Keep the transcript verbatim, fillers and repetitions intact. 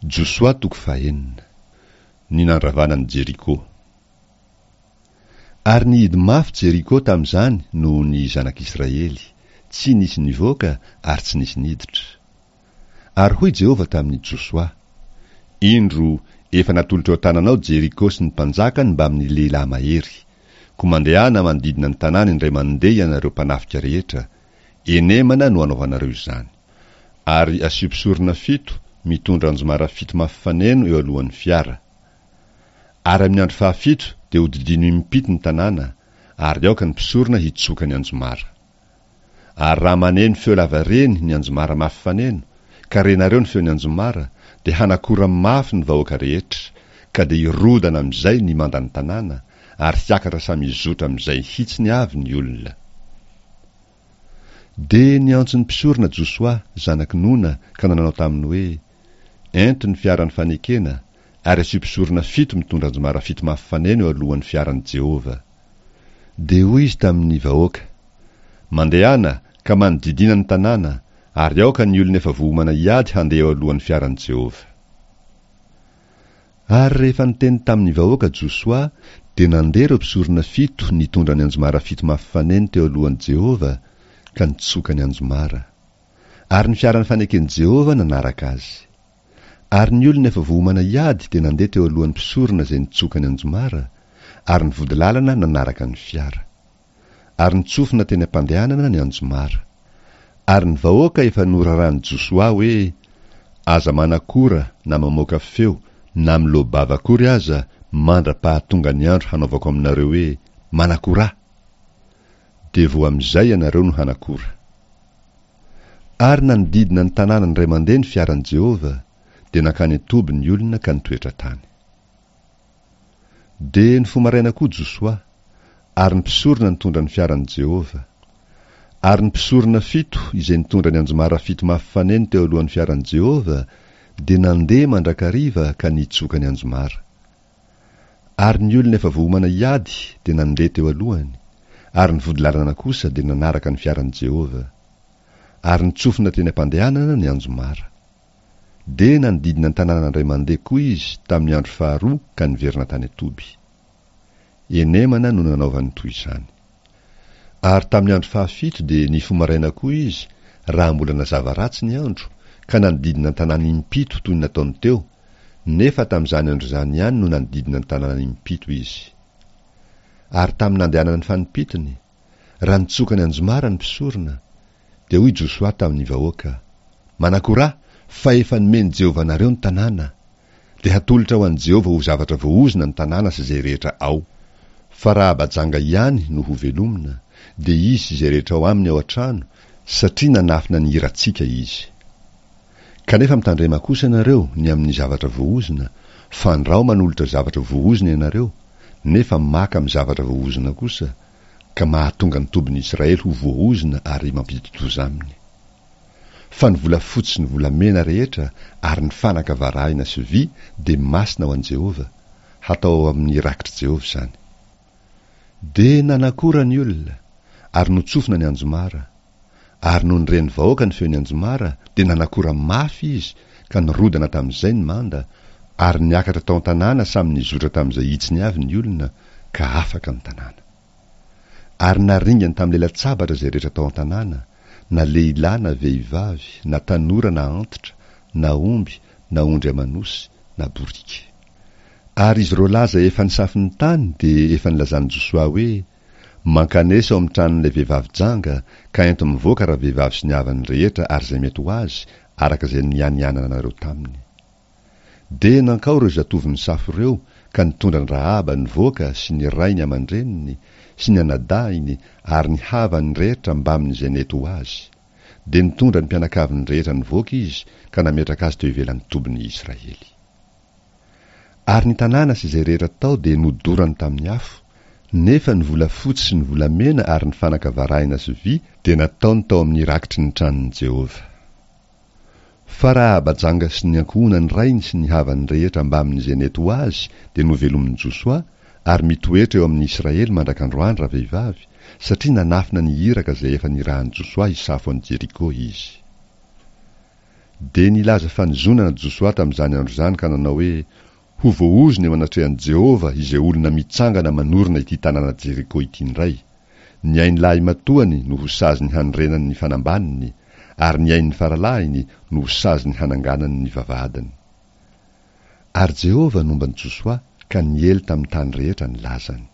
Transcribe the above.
Josoa toko fahenina. Ny nandravana an'i Jeriko. Ary nihidy mafy Jeriko tamin'izany noho ny zanak'Israely, tsy nisy nivoaka ary tsy nisy niditra. Ary hoy Jehovah tamin'i Josoa, Indro, efa natolotro eo an-tananao Jeriko sy ny mpanjakany mbamin'ny lehilahy mahery. Koa mandehana manodidina ny tanàna indray mandeha ianareo mpanafika rehetra, enemana no anaovanareo izany. Ary asio mpisorona fito mitondra anjomara fito mafy faneno eo alohan'ny fiara. Ary amin'ny andro fahafito dia hodidino impito ny tanàna, ary aoka ny mpisorona hitsoka ny anjomara. Ary raha maneno feo lavareny ny anjomara mafy faneno, ka renareo ny feon'ny anjomara, dia hanakora mafy ny vahoaka rehetra, ka dia hirodana amin'izay ny mandan'ny tanàna, ary hiakatra samy hizotra amin'izay hitsiny avy ny olona. Dia niantso ny mpisorona Josoa, zanak'i Nona, ka nanao taminy hoe, Ento ny fiaran'ny fanekena, ary asio mpisorona fito mitondra anjomara fito mafy faneno eo alohan'ny fiaran'i Jehovah. Dia hoy izy tamin'ny vahoaka, Mandehana, ka manodidina ny tanàna, ary aoka ny olona efa voaomana hiady handeha eo alohan'ny fiaran'i Jehovah. Ary rehefa niteny tamin'ny vahoaka Josoa, dia nandeha ireo mpisorona fito nitondra ny anjomara fito mafy faneno teo alohan'i Jehovah, ka nitsoka ny anjomara. Ary ny fiaran'ny faneken'i Jehovah nanaraka azy. Ary ny olona efa voaomana hiady dia nandeha teo alohan'ny mpisorona izay nitsoka ny anjomara, ary ny vodilalana nanaraka ny fiara. Ary nitsofina teny am-pandehanana ny anjomara. Ary ny vahoaka efa noraran'i Josoa hoe, Aza manakora na mamoaka feo na miloa-bava akory aza mandra-pahatonga ny andro hanaovako aminareo hoe, Manakorà! Dia vao amin'izay ianareo no hanakora. Ary nanodidina ny tanàna indray mandeha ny fiaran'i Jehovah, dia nankany an-toby ny olona ka nitoetra tany. Dia nifoha maraina koa Josoa, ary ny mpisorona nitondra ny fiaran'i Jehovah. Ary ny mpisorona fito izay nitondra ny anjomara fito mafy faneno teo alohan'ny fiaran'i Jehovah dia nandeha mandrakariva ka nitsoka ny anjomara. Ary ny olona efa voaomana hiady dia nandeha teo alohany, ary ny vodilalana kosa dia nanaraka ny fiaran'i Jehovah. Ary nitsofina teny am-pandehanana ny anjomara. Dia nanodidina ny tanàna indray mandeha koa izy tamin'ny andro faharoa ka niverina tany an-toby. Enemana no nanaovany toy izany. Ary tamin'ny andro fahafito dia nifoha maraina koa izy, raha mbola nazava ratsy ny andro, ka nanodidina ny tanàna impito toy ny nataony teo, nefa tamin'izany andro izany ihany no nanodidina ny tanàna impito izy. Ary tamin'ny nandehanany fanimpitony, raha nitsoka ny anjomara ny mpisorona, dia hoy Josoa tamin'ny vahoaka, Manakorà, fa efa nomen'i Jehovah anareo ny tanàna. Dia hatolotra ho an'i Jehovah ho zavatra voaozona ny tanàna sy izay rehetra ao. Fa raha Abajanga ihany no hovelomina, dia izy sy izay rehetra ao aminy ao an-trano, satria nanafina ny hirantsika izy. Kanefa mitandrema kosa ianareo ny amin'ny zavatra voaozona, fandrao manolotra zavatra voaozona ianareo, nefa maka amin'ny zavatra voaozona kosa, ka mahatonga ny tobin'i Israely ho voaozona ary mampidi-doza aminy. Fa ny volafotsy sy ny volamena rehetra ary ny fanaka varahina sy vy dia masina ho an'i Jehovah, hatao ao amin'ny rakitr'i Jehovah izany. Dia nanakora ny olona, ary notsofina ny anjomara. Ary nony ren'ny vahoaka ny feon'ny anjomara, dia nanakora mafy izy, ka nirodana tamin'izay ny manda, ary niakatra tao an-tanàna samy nizotra tamin'izay hitsiny avy ny olona, ka afaka ny tanàna. Ary naringany tamin'ny lela-tsabatra izay rehetra tao an-tanàna, na lehilahy na vehivavy, na tanora na antitra, na omby, na ondry aman'osy, na boriky. Ary izy roalahy izay efa nisafo ny tany dia efa nilazan'i Josoa hoe, Mankanesa ao amin'ny tranon'ilay vehivavy janga, ka ento mivoaka ravehivavy sy ny havany rehetra ary izay mety ho azy, araka izay nianiananareo taminy. Dia nankao ireo zatovo nisafo ireo ka nitondra an-dRahaba nivoaka sy ny rainy aman-dreniny sy ny anadahiny ary ny havany rehetra mbamin'izay nety ho azy. Dia nitondra ny mpianakaviny rehetra nivoaka izy ka nametraka azy teo ivelan'ny tobin'ny Israely. Ary ny tanàna sy izay rehetra tao dia nodorany tamin'ny afo, nefa ny volafotsy sy ny volamena ary ny fanaka varahina sy vy dia nataony tao amin'ny rakitry ny tranon'i Jehovah. Fa Rahaba janga sy ny ankohonany rainy sy ny havany rehetra mbamin'izay nety ho azy dia novelomin'i Josoa, ary mitoetra eo amin'ny Israely mandrak'androany ravehivavy, satria nanafina ny iraka izay efa nirahan'i Josoa hisafo an'i Jeriko izy. Dia nilaza fanozonana Josoa tamin'izany andro izany ka nanao hoe, Ho voaozona eo anatrehan'i Jehovah izay olona mitsangana manorina ity tanàna Jeriko ity indray. Ny ain'ny lahimatoany no ho saziny hanorenany ny fanambaniny, ary ny ain'ny faralahiny no ho saziny hananganany ny vavahadiny. Ary Jehovah nomba an'i Josoa ka niely tamin'ny tany rehetra ny lazany.